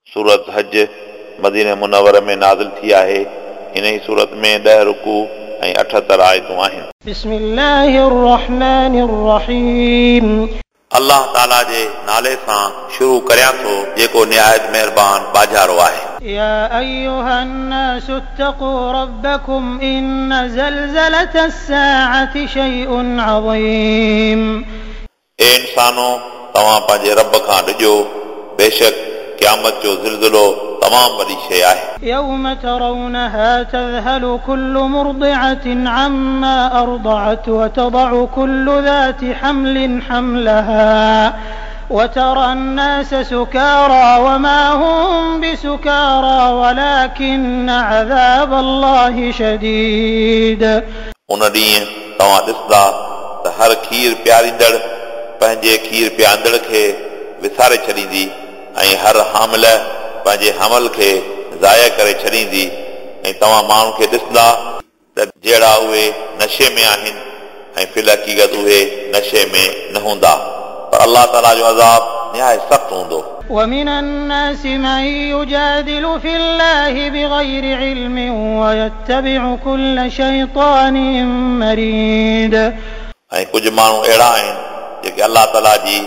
सूरत हज मदीने मुनवर में नाज़िल थी आहे। इन ई सूरत में 10 रुकू ऐं 78 आयतूं आहिनि। बिस्मिल्लाहिर्रहमानिर्रहीम। अल्लाह ताला जे नाले सां शुरू करियां थो जेको निहायत महिरबान बाजारो आहे। या अय्युहन्नासु इत्तक़ू रब्बकुम इन्न ज़लज़लतस-साअति शैउन अज़ीम। ए इंसानो, तव्हां पंहिंजे रब खां डिॼो, बेशक क़यामत जो ज़िलज़िलो तमामु वॾी शइ आहे। यौम तरौनहा तज़हलु कुल्लु मुर्दिअतिन अम्मा अरदअत व तदअु कुल्लु ज़ाति हम्लिन हम्लहा व तरा अन्नास सुकारा वमा हुम बिसुकारा वलाकिन्न अज़ाब अल्लाहि शदीद। उन ॾींहुं तव्हां ॾिसंदा त हर खीर प्यारींदड़ पंहिंजे खीर प्यारींदड़ खे विसारे छॾींदी ऐं हर हामिल पंहिंजे हमल खे ज़ाया करे छॾींदी ऐं तव्हां माण्हुनि खे ॾिसंदा त जहिड़ा उहे नशे में आहिनि ऐं फिल हक़ीक़त उहे नशे में न हूंदा, पर अल्लाह ताला जो अज़ाब निहायत सख़्तु हूंदो। ومن الناس من يجادل في الله بغير علم ويتبع كل شيطان مريد। ऐं कुझु माण्हू अहिड़ा आहिनि जेके अल्लाह ताला जी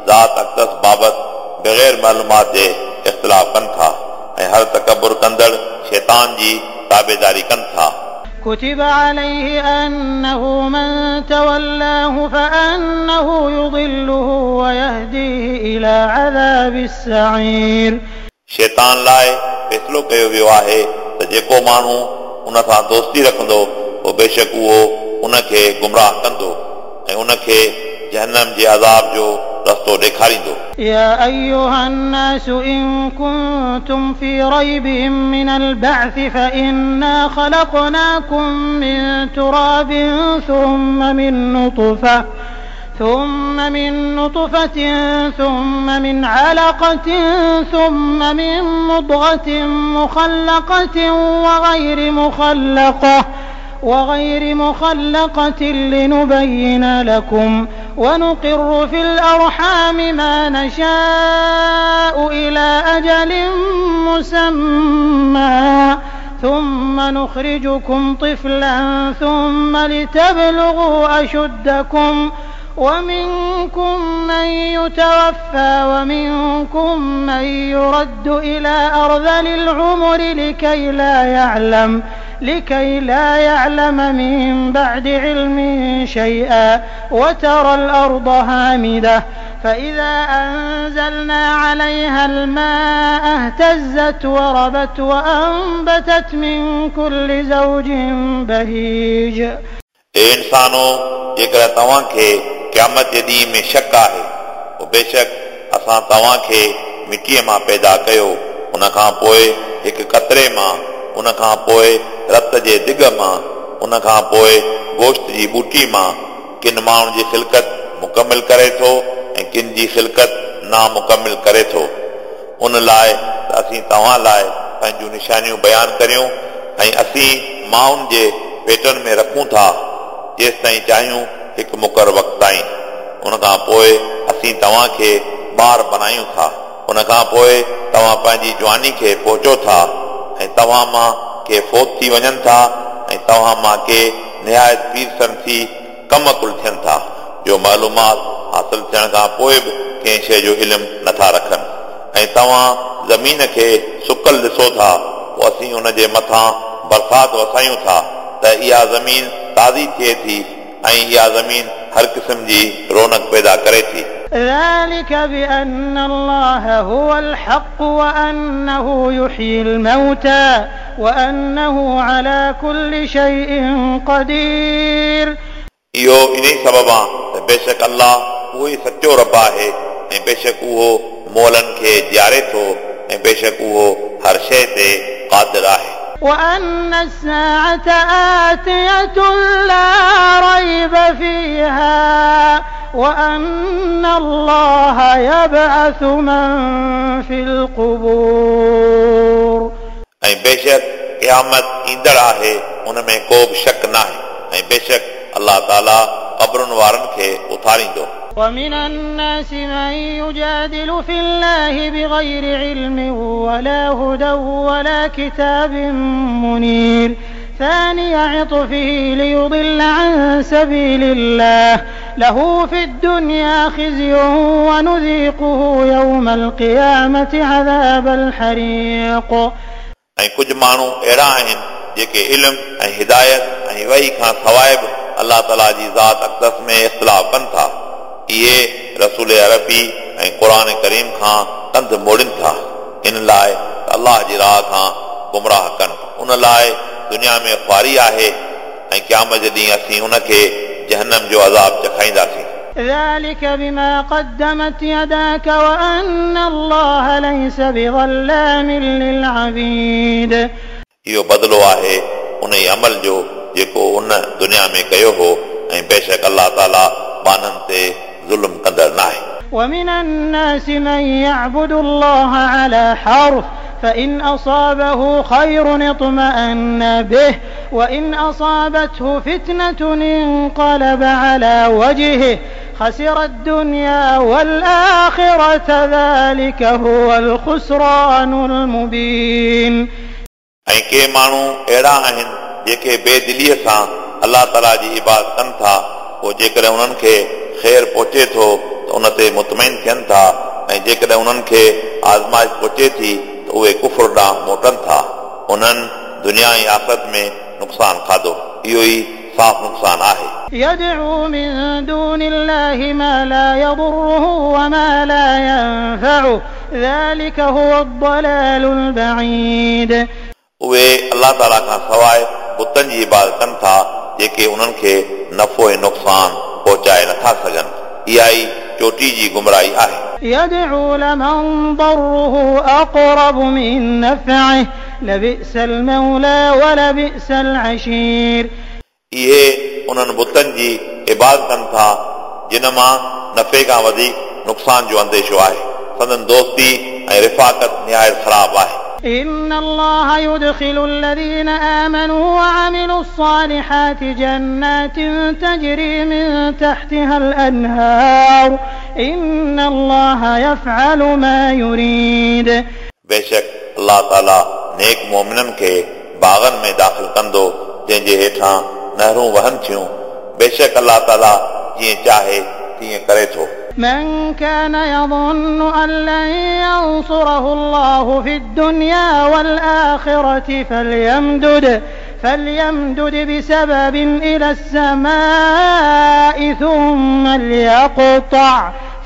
ज़ात अक़दस बाबति बग़ैर मालूमात जे इख़्तिलाफ़ कनि था ऐं हर तकबुर कंदड़ शैतान जी ताबेदारी कनि था। كتب عليه أنه من تولاه فأنه يضله ويهديه إلى عذاب السعير। शैतान लाइ फ़ैसिलो कयो वियो आहे त जेको माण्हू उन सां दोस्ती रखंदो पोइ बेशक उहो उनखे गुमराह कंदो ऐं उनखे जहन्नम जे अज़ाब जो रस्तो ॾेखारींदो। يا أيها الناس إن كنتم في ريب من البعث فإنا خلقناكم من تراب ثم من نطفة ثم من علقة ثم من مضغة مخلقة وغير مخلقة لنبين لكم ونقر في الأرحام ما نشاء إلى أجل مسمى ثم نخرجكم طفلا ثم لتبلغوا أشدكم ومنكم من يتوفى ومنكم من يرد إلى أرذل العمر لكي لا يعلم من بعد علم شيئا وترى الأرض هامدة فإذا أنزلنا عليها الماء اهتزت وربت وأنبتت من كل زوج بهيج। ए इंसानो, जेकॾहिं तव्हांखे क़यामत जे ॾींहं में शक आहे, पोइ बेशक असां तव्हांखे मिटीअ मां पैदा कयो, उन खां पोइ हिकु कतरे मां, उन खां पोइ रत जे दिग मां, उन खां पोइ गोश्त जी बूटी मां। किन माण्हुनि जी ख़िलकत मुकमिल करे थो ऐं किन जी ख़िलकत नामुकमिल करे थो। उन लाइ त असीं तव्हां लाइ पंहिंजूं निशानियूं बयानु करियूं ऐं असीं माउनि जे पेटनि में रखूं था जेसि ताईं चाहियूं हिकु मुक़ररु वक़्त ताईं। उन खां पोइ असीं तव्हांखे ॿार बणायूं था, उन खां पोइ तव्हां पंहिंजी जवानी खे पहुचो था ऐं तव्हां मां के फौत थी वञनि था ऐं तव्हां मां के निहायत पीरसन थी कम अकुल थियनि था, जो मालूमात हासिल थियण खां पोइ बि कंहिं शइ जो इल्मु नथा रखनि। ऐं तव्हां ज़मीन खे सुकल ॾिसो था, पोइ असीं उन जे मथां बरसाति वसायूं था त इहा ज़मीन ताज़ी थिए थी ऐं इहा ज़मीन हर क़िस्म जी रौनक पैदा करे थी। ذلك بأن الله هو الحق وأنه يحيي الموتى وأنه على كل شيء قدير। इहो इन ई सबब आहे त बेशक अल्लाह उहो ई सचो रब आहे ऐं बेशक उहो मोलनि खे जीआरे थो ऐं बेशक उहो हर शइ ते क़ादिर आहे। وأن الساعة آتية لا ريب فيها وأن الله يبعث من في القبور। ऐं बेशक क़यामत ईंदड़ आहे, उन में को बि शक न आहे ऐं बेशक अल्लाह ताला क़बरुनि वारनि खे उथारींदो। ومن الناس من يجادل في الله بغير علم ولا هدى ولا كتاب منير ثاني عطفه ليضل عن سبيل الله له في الدنيا خزي ونذيقه يوم القيامة عذاب الحريق. ऐं कुझु माण्हू अहिड़ा आहिनि जेके इल्म ऐं हिदायत ऐं वही खां सवाइ बि अलाह ताला जी ज़ात अक़दस में इख़्तिलाफ़ कनि था। इहे रसूल अरबी ऐं क़ुर करीम खां कंध मोड़नि था, इन लाइ अलाह जी राह खां गुमराह कनि। उन लाइ दुनिया में ख़्वारी आहे ऐं क़यामत जे ॾींहुं असीं उनखे जहन्नम जो अज़ाब चखाईंदासीं। ذلك بما قدمت يداك وأن الله ليس بظلام للعبيد. इहो बदिलो आहे उन ई अमल जो जेको उन दुनिया में कयो हो ऐं बेशक अलाह ताला ॿान्हनि ते ज़ुल्म कंदड़ न आहे। ومن الناس من يعبد الله على حرف فإن أصابه خير اطمأن به وإن أصابته فتنة انقلب على وجهه خسر الدنيا والآخرة ذلك هو الخسران المبين. ऐं के माण्हू अहिड़ा आहिनि जेके बेदिलीअ सां अलाह ताला जी इबादत कनि था, पोइ जेकॾहिं उन्हनि खे ख़ैर पहुचे थो त उन ते मुतमैन थियनि था ऐं जेकॾहिं उन्हनि खे आज़माइश पहुचे थी त उहे कुफुर ॾांहुं मोटनि था। उन्हनि दुनिया ऐं आख़िरत में नुक़सानु खाधो, इहो ई साफ़ नुक़सानु आहे। يدعو من دون الله ما لا يضره وما لا ينفعه ذلك هو الضلال البعيد. उहे अलाह ताला खां सवाइ बुतनि जी इबादत कनि था जेके उन्हनि खे नफ़ो ऐं नुक़सानु पहुचाए नथा सघनि। इहा ई चोटी जी गुमराही आहे। يدعو لمن ضره أقرب من نفعه لبئس المولى ولبئس العشير. इहे उन्हनि बुतनि जी इबादत कनि था जिन मां नफ़े खां वधीक नुक़सान जो अंदेशो आहे। संदन दोस्ती ऐं रिफ़ाक़त निहायत ख़राब आहे। إن الله يدخل الذين آمنوا وعملوا الصالحات جنات تجري من تحتها الأنهار إن الله يفعل ما يريد. बेशक अलाह ताला नेक मोमिननि खे बाग़नि में दाख़िल कंदो जंहिंजे हेठां नहरूं वहनि थियूं। बेशक अलाह ताला जीअं चाहे तीअं करे थो। من كان يظن أن لن ينصره الله في الدنيا والآخرة فليمدد بسبب إلى السماء ثم ليقطع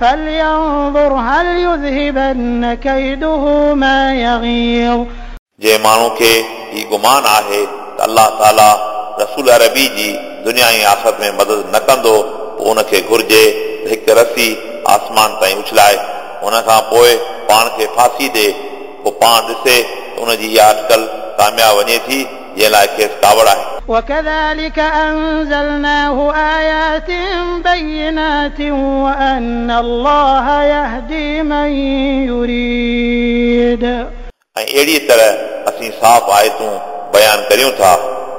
فلينظر هل يذهبن كيده ما يغيظ. जंहिं माण्हू खे ही गुमान आहे त अलाह ताला रसूल अरबी जी दुनिया ऐं आख़िरत में मदद न कंदो, पोइ उनखे घुर्जे हिकु रसी आसमान ताईं उछलाए, उन खां पोइ पाण खे फांसी ॾे, पोइ पाण ॾिसे त उन जी इहा अटकल कामयाब वञे थी जंहिं लाइ खेसि कावड़ आहे। وكذلك أنزلناه آيات بينات وأن الله يهدي من يريد. ऐं अहिड़ी तरह असीं साफ़ आयतूं बयानु करियूं था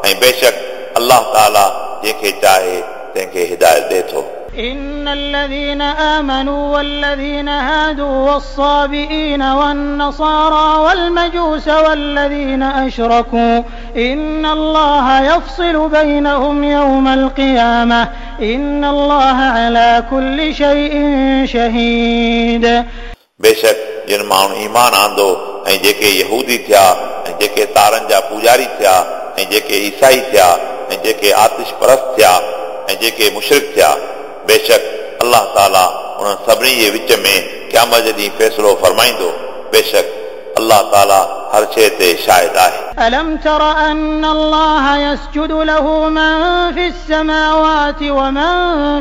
ऐं बेशक अलाह ताला जंहिंखे चाहे तंहिंखे हिदायत ॾिए थो। إن الذين آمنوا والذين هادوا والصابئين والنصارى والمجوس والذين أشركوا إن الله يفصل بينهم يوم القيامة إن الله على كل شيء شهيد. बेशक जिन माण्हू ईमान आंदो ऐं जेके यहूदी थिया ऐं जेके तारनि जा पूजारी थिया ऐं जेके ईसाई थिया ऐं जेके आतिश परस्त थिया ऐं जेके मुशरिक थिया, बेशक अलाह ताला उन्हनि सभिनी जे विच में क़यामत जे ॾींहुं फ़ैसिलो फरमाईंदो। बेशक अलाह ताला हर शइ ते शाहिद आहे। ألم تر أن الله يسجد له من في السماوات ومن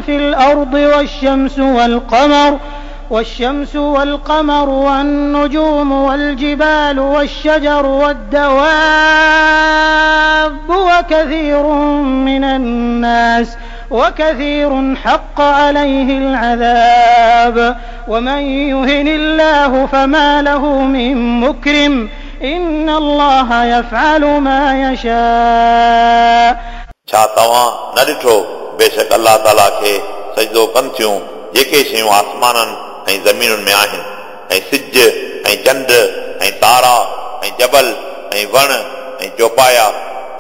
في الأرض والشمس والقمر والنجوم والجبال والشجر والدواب وكثير من الناس وكثير حق عليه العذاب ومن يهن الله فما له من مكرم إن الله يفعل ما يشاء. छा तव्हां न ॾिठो बेशक अलाह ताला खे सजदो कनि थियूं जेके शयूं आसमाननि ऐं ज़मीनुनि में आहिनि ऐं सिज ऐं चंड ऐं तारा جبل ऐं वण ऐं चौपाया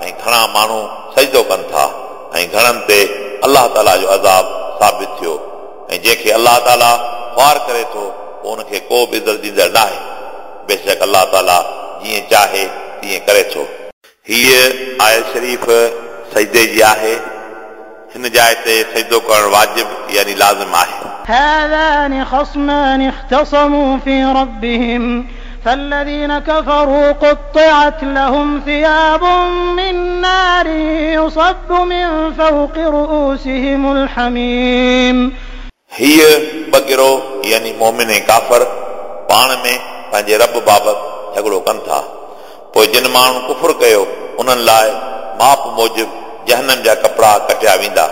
ऐं घणा माण्हू सजदो कनि था ऐं घणनि ते अलाह ताला जो अज़ाब साबित थियो ऐं जंहिंखे अलाह ताला ख़्वार करे थो पोइ उनखे को बि इज़त ॾींदड़ न आहे। बेशक अलाह ताला जीअं चाहे तीअं करे थो। हीअ आयत शरीफ़ सजदे जी आहे। हिन जाइ ते सजदो करणु वाजिब यानी लाज़िम आहे। هذان خصمان اختصموا في ربهم فالذين كفروا قطعت لهم ثياب من نار يصب من فوق رؤوسهم الحميم। हीअ ॿ गिरोह यानी मोमिन ऐं काफ़र पाण में पंहिंजे रब बाबति झगड़ो कनि था। पोइ जिन माण्हुनि कुफुर कयो उन्हनि लाइ माप मूजिबि जहनम जा कपिड़ा कटिया वेंदा।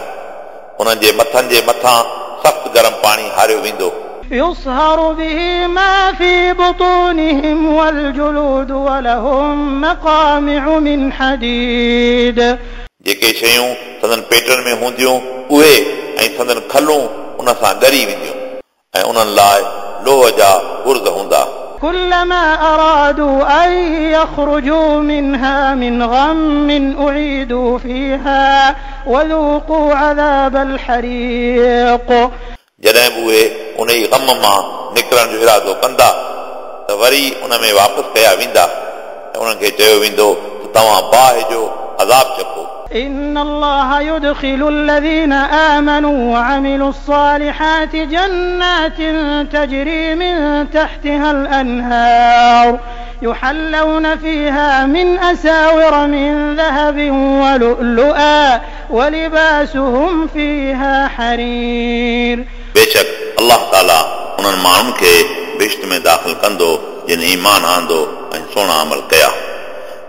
उन्हनि जे मथनि जे मथां सख़्तु गरम पाणी हारियो वेंदो। يصهر به ما في بطونهم والجلود ولهم مقامع من حديد। जेके शयूं संदन पेटनि में हूंदियूं उहे ऐं संदन खलूं उन सां ॻरी वेंदियूं ऐं उन्हनि लाइ लोह जा गुर्द हूंदा। كلما أرادوا أن يخرجوا منها من غم أعيدوا فيها وذوقوا عذاب الحريق। जॾहिं बि उहे उन ई ग़म मां निकिरण जो इरादो कंदा त वरी उन में वापसि कया वेंदा ऐं उन्हनि खे चयो वेंदो त तव्हां बाहि जो अज़ाब चखो। إن الله يدخل الذين آمنوا وعملوا الصالحات جنات تجري من تحتها الأنهار يحلون فيها من أساور من ذهب ولؤلؤا ولباسهم فيها حرير। बेशक अलाह ताला उन्हनि माण्हुनि खे बिश्त में दाख़िल कंदो जिन ईमान आंदो ऐं सुहिणा अमल कया।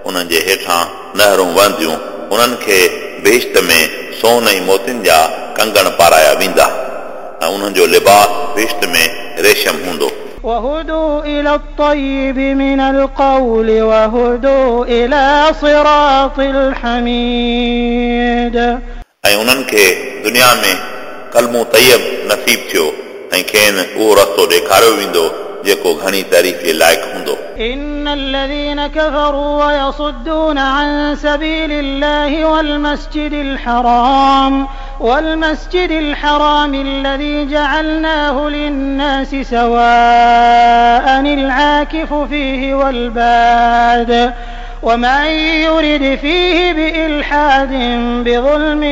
उन्हनि जे हेठां नहरूं वहंदियूं। उन्हनि खे बहिश्त में सोन ऐं मोतियुनि जा कंगण पाराया वेंदा ऐं उन्हनि जो लिबास बहिश्त में रेशम हूंदो। وهدوا إلى الطيب من القول وهدوا إلى صراط الحميد। ऐं उन्हनि खे दुनिया में कलमो तैयब नसीब थियो ऐं खेनि उहो रस्तो ॾेखारियो वेंदो जेको घणी तारीफ़ जे लाइक़ हूंदो। إن الذين كفروا ويصدون عن سبيل الله والمسجد الحرام الذي جعلناه للناس سواء العاكف فيه والباد ومن يرد فيه بإلحاد بظلم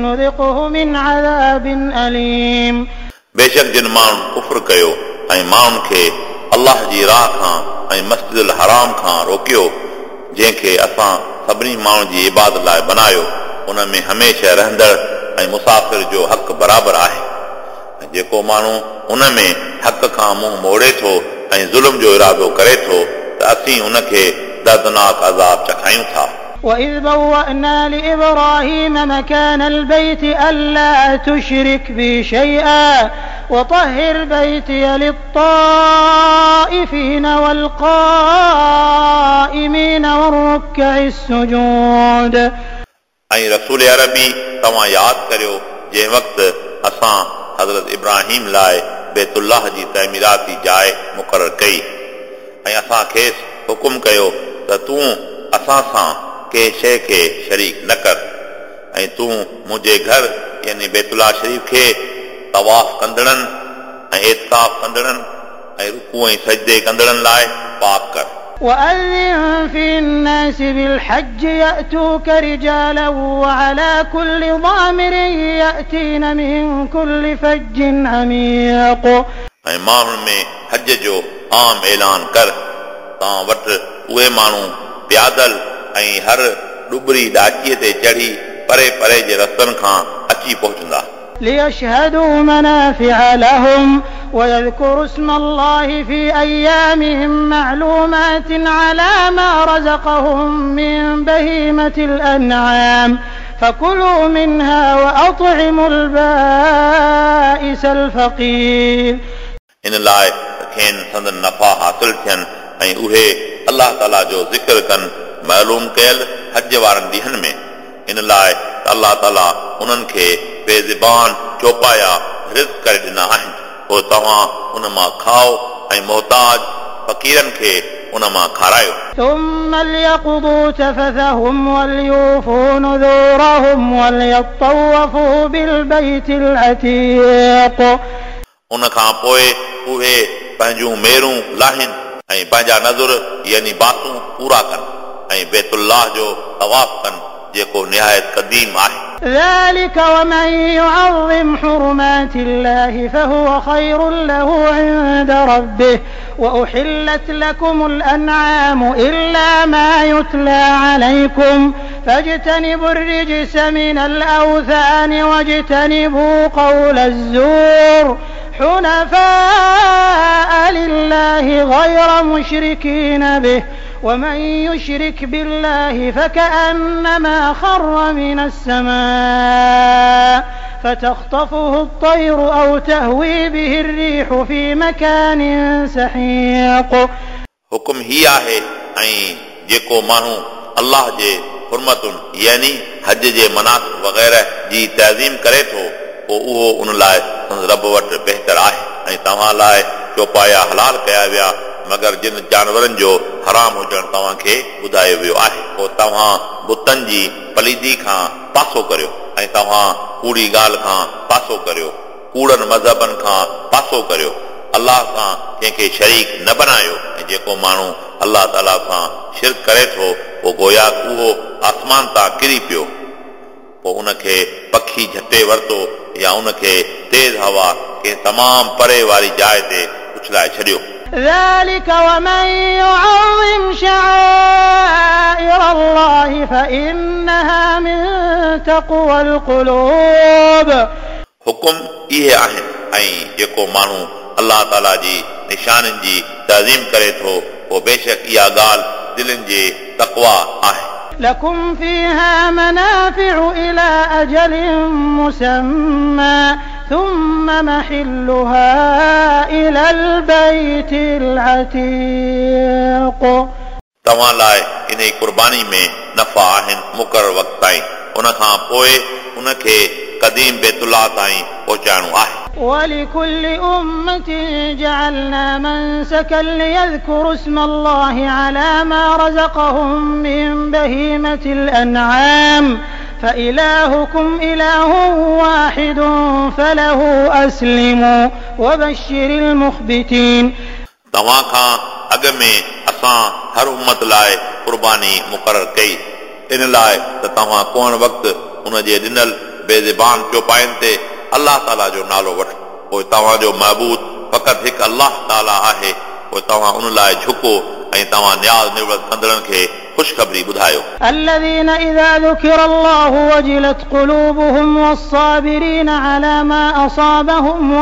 نذقه من عذاب أليم। बेशक जिन माण्हुनि कुफुर कयो ऐं माण्हुनि खे अलाह जी राह खां ऐं मस्जिद हराम खां रोकियो जंहिंखे असां सभिनी माण्हुनि जी इबादत लाइ बनायो उन में हमेशह रहंदड़ ऐं मुसाफ़िर जो हक़ बराबरि आहे। ऐं जेको माण्हू उन में हक़ खां मुंहुं मोड़े थो ऐं ज़ुल्म जो इरादो करे थो त असीं उनखे दर्दनाक अज़ाब चखायूं था। وإذ بوأنا لإبراهيم مكان البيت ألا تشرك بي شيئا وطهر بيتي للطائفين والقائمين والركع السجود। ऐं रसूल अरबी तव्हां यादि करियो जंहिं वक़्तु असां हज़रत इब्राहिम लाइ बैतुल्लाह जी तइमीराती जाइ मुक़ररु कई ऐं असां खेसि हुकुम कयो त तूं असां सां कंहिं शइ खे शरीक न कर ऐं तूं मुंहिंजे घर यानी बैतुल्लाह शरीफ़ खे तवाफ़ कंदड़नि ऐं एतकाफ़ कंदड़नि ऐं रुकू ऐं सजदे कंदड़नि लाइ पाक कर। وأذن في الناس بالحج يأتوك رجالا وعلى كل ضامر يأتين من كل فج عميق। ऐं माण्हुनि में हज जो आम ऐलान कर। तव्हां वटि उहे माण्हू प्यादल ऐं हर ॾुबरी ॾाचीअ ते चढ़ी परे परे जे रस्तनि खां अची पहुचंदा। ليشهدوا منافع لهم ويذكروا اسم الله في أيام معلومات على ما رزقهم من بهيمة الأنعام فكلوا منها وأطعموا البائس الفقير। इन लाइ खेनि संदन नफ़ा हासिल थियनि ऐं उहे अलाह ताला जो ज़िक्र कनि मालूम कयल हज वारनि ॾींहंनि में। इन लाइ त अलाह ताला उन्हनि खे बेज़बान चौपाया रिज़्क करे ॾिना आहिनि। पोइ तव्हां उन मां खाओ ऐं मोहताज फ़क़ीरनि खे उन मां खारायो। ثم ليقضوا تفثهم وليوفوا نذورهم وليطوفوا بالبيت العتيق। उन खां पोइ उहे पंहिंजूं मेरूं लाहिनि ऐं पंहिंजा नज़ुर यानी बासूं पूरा कनि ऐं बैतुल्लाह जो तवाफ़ कनि जेको निहायत क़दीम आहे। ذلك ومن يعظم حرمات الله فهو خير له عند ربه وأحلت لكم الأنعام إلا ما يتلى عليكم فاجتنبوا الرجس من الأوثان واجتنبوا قول الزور حنفاء لله غير مشركين به ومن يشرك بالله فكأنما خر من السماء فتخطفه الطير أو تهوي به الريح في مكان سحيق। हुकुम ही आहे ऐं जेको माण्हू अल्लाह जे हुरमतुनि यानी हज जे मनासिक वग़ैरह जी तज़ीम करे थो पोइ उहो उन लाइ संदसि रब वटि बहितर आहे ऐं तव्हां लाइ चौपाया हलाल कया विया मगर जिन जानवरनि जो हराम हुजणु तव्हांखे ॿुधायो वियो आहे पोइ तव्हां बुतनि जी पलीदी खां पासो करियो ऐं तव्हां कूड़ी ॻाल्हि खां पासो करियो, कूड़नि मज़हबनि खां पासो करियो, अल्लाह सां कंहिंखे शरीक न बनायो ऐं जेको माण्हू अल्लाह ताला सां शिरक करे थो पोइ गोया उहो आसमान तां किरी पियो, पोइ उनखे पखी झटे वरितो या उनखे तेज़ हवा कंहिं तमामु परे वारी जाइ ते उछलाए छॾियो। ذلك ومن يعظم شعائر الله فإنها من تقوى القلوب। हुकुम इहे आहिनि ऐं जेको माण्हू अल्लाह ताला जी निशाननि जी तज़ीम करे थो पोइ बेशक इहा ॻाल्हि दिलनि जी तक़वा आहे। لكم فيها منافع إلى أجل مسمى ثم محلها إلى البيت العتيق। तव्हां लाइ इन क़ुर्बानी में नफ़ा आहिनि मुक़ररु वक़्त ताईं, उन खां पोइ उनखे क़दीम बैतुल्लाह ताईं पहुचाइणो आहे। ولكل أمة جعلنا منسكا ليذكروا اسم الله على ما رزقهم من بهيمة الأنعام فإلهكم إله واحد فله أسلموا وبشر المخبتين। तव्हां खां अॻ में असां हर उम्मत लाइ क़ुर्बानी मुक़ररु कई इन लाइ त तव्हां कोन वक़्तु उन जे ॾिनल बेज़बान चौपाइनि ते अल्लाह ताला जो नालो वठो, पोइ तव्हांजो महबूद फ़क़ति हिकु अल्लाह ताला आहे, पोइ तव्हां उन लाइ झुको ऐं तव्हां नियाज़ निवृत कंदड़नि खे ख़ुशख़बरी ॿुधायो। الذين إذا ذكر الله وجلت قلوبهم والصابرين على ما أصابهم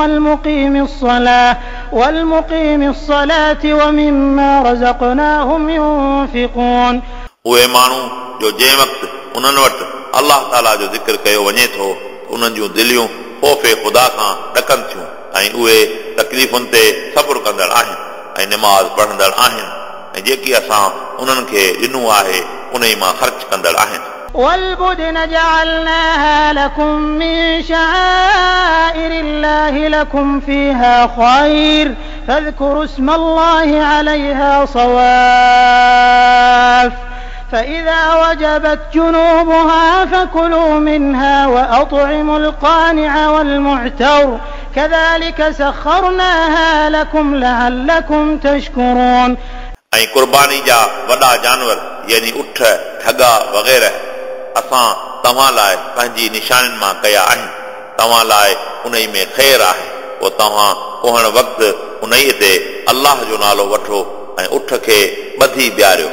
والمقيم الصلاة ومما رزقناهم ينفقون। उहे माण्हू जो जंहिं वक़्तु उन्हनि वटि अल्लाह ताला जो ज़िक्र कयो वञे थो उन्हनि जूं दिलियूं ख़ौफ़ ख़ुदा खां ॾकनि थियूं ऐं उहे तकलीफ़ुनि ते सब्र कंदड़ आहिनि ऐं नमाज़ पढ़ंदड़ आहिनि ऐं जेकी असां उन्हनि खे ॾिनो आहे उन मां ख़र्च कंदड़ आहिनि। والبدن جعلناها لكم من شعائر الله لكم فيها خير فاذكروا اسم الله عليها صواف فإذا وجبت جنوبها فكلوا منها وأطعموا القانع والمعتر كذلك سخرناها لكم لعلكم تشكرون। ऐं क़ुर्बानी जा वॾा जानवर यानी उठ ठगा वग़ैरह असां तव्हां लाइ पंहिंजी निशाननि मां कया आहिनि, तव्हां लाइ उन में ख़ैर आहे, पोइ तव्हां कोहण वक़्तु उन ते अल्लाह जो नालो वठो ऐं उठ खे ॿधी बीहारियो,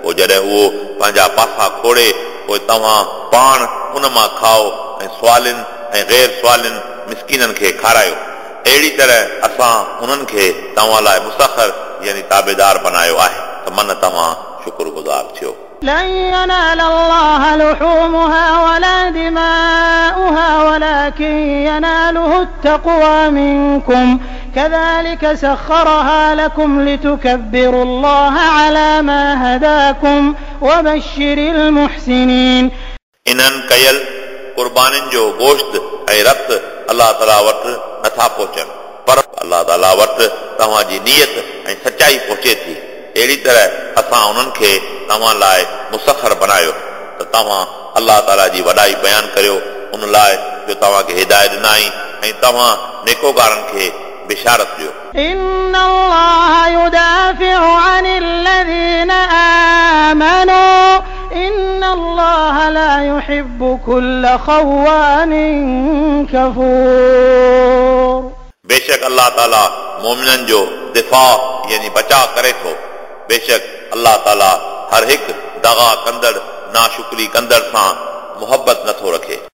पोइ जॾहिं उहो पंहिंजा पासा खोड़े पोइ तव्हां पाण उन मां खाओ ऐं सुवालिन ऐं गैर सुवालिन मिसकीननि खे खारायो। अहिड़ी तरह असां उन्हनि खे तव्हां लाइ मुसखर यानी ताबेदार बनायो आहे त मन तव्हां शुक्रगुज़ार थियो। لن ينال الله لحومها ولا دماؤها ولكن يناله التقوى منكم كذلك سخرها لكم لتكبروا الله على ما هداكم وبشر المحسنين। इन्हनि कयल क़ुर्बानियुनि जो गोश्त ऐं रत अल्लाह ताला वटि नथा पहुचनि, पर अल्लाह ताला वटि तव्हांजी नीयत ऐं सचाई पहुचे थी। अहिड़ी तरह असां उन्हनि खे तव्हां लाइ मुसखर बणायो त तव्हां अलाह ताला जी वॾाई बयानु करियो उन लाइ जो तव्हांखे हिदायत ॾिनाई ऐं तव्हां नेकोगारनि खे बिशारत ॾियो। إن الله يدافع عن الذين آمنوا إن الله لا يحب كل خوان كفور। बेशक अलाह ताला मोमिननि जो दिफ़ा यानी बचाव करे थो। बेशक अलाह ताला हर हिकु दगा कंदड़ नाशुक्री कंदड़ सां मुहबत नथो रखे।